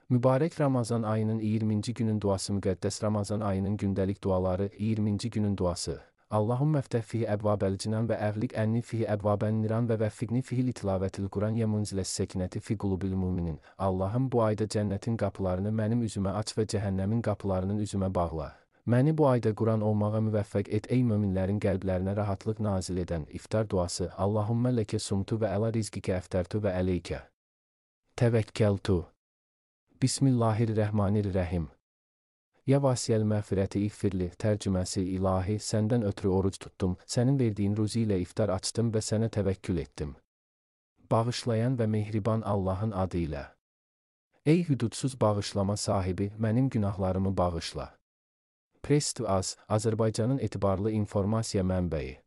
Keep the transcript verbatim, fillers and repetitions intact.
Mübarək Ramazan ayının iyirminci günün duası müqəddəs Ramazan ayının gündəlik duaları iyirminci günün duası. Allahümme fteh fihi ebvabel cinan ve eğlik enni fihi ebvaben niran ve veffikni fihi litilavetil Kur'an ye munziles sekineti fi qulubil müminin. Allah'ım bu ayda cənnetin qapılarını mənim üzümə aç və cəhənnəmin qapılarının üzümə bağla. Məni bu ayda Kur'an olmağa müvəffəq et ey möminlərin qəlblərinə rahatlıq nazil edən iftar duası. Allahümme leke sumtu ve ela rizqike eftertu ve eleyke tevekkeltu. Bismillahirrahmanirrahim. Ya vasiyel məğfirəti iğfirli, tərcüməsi ilahi, səndən ötürü oruc tuttum, sənin verdiyin ruzi ilə iftar açdım və sənə təvəkkül etdim. Bağışlayan və mehriban Allahın adı ilə. Ey hüdudsuz bağışlama sahibi, mənim günahlarımı bağışla. Press to Az, Azərbaycanın etibarlı informasiya mənbəyi.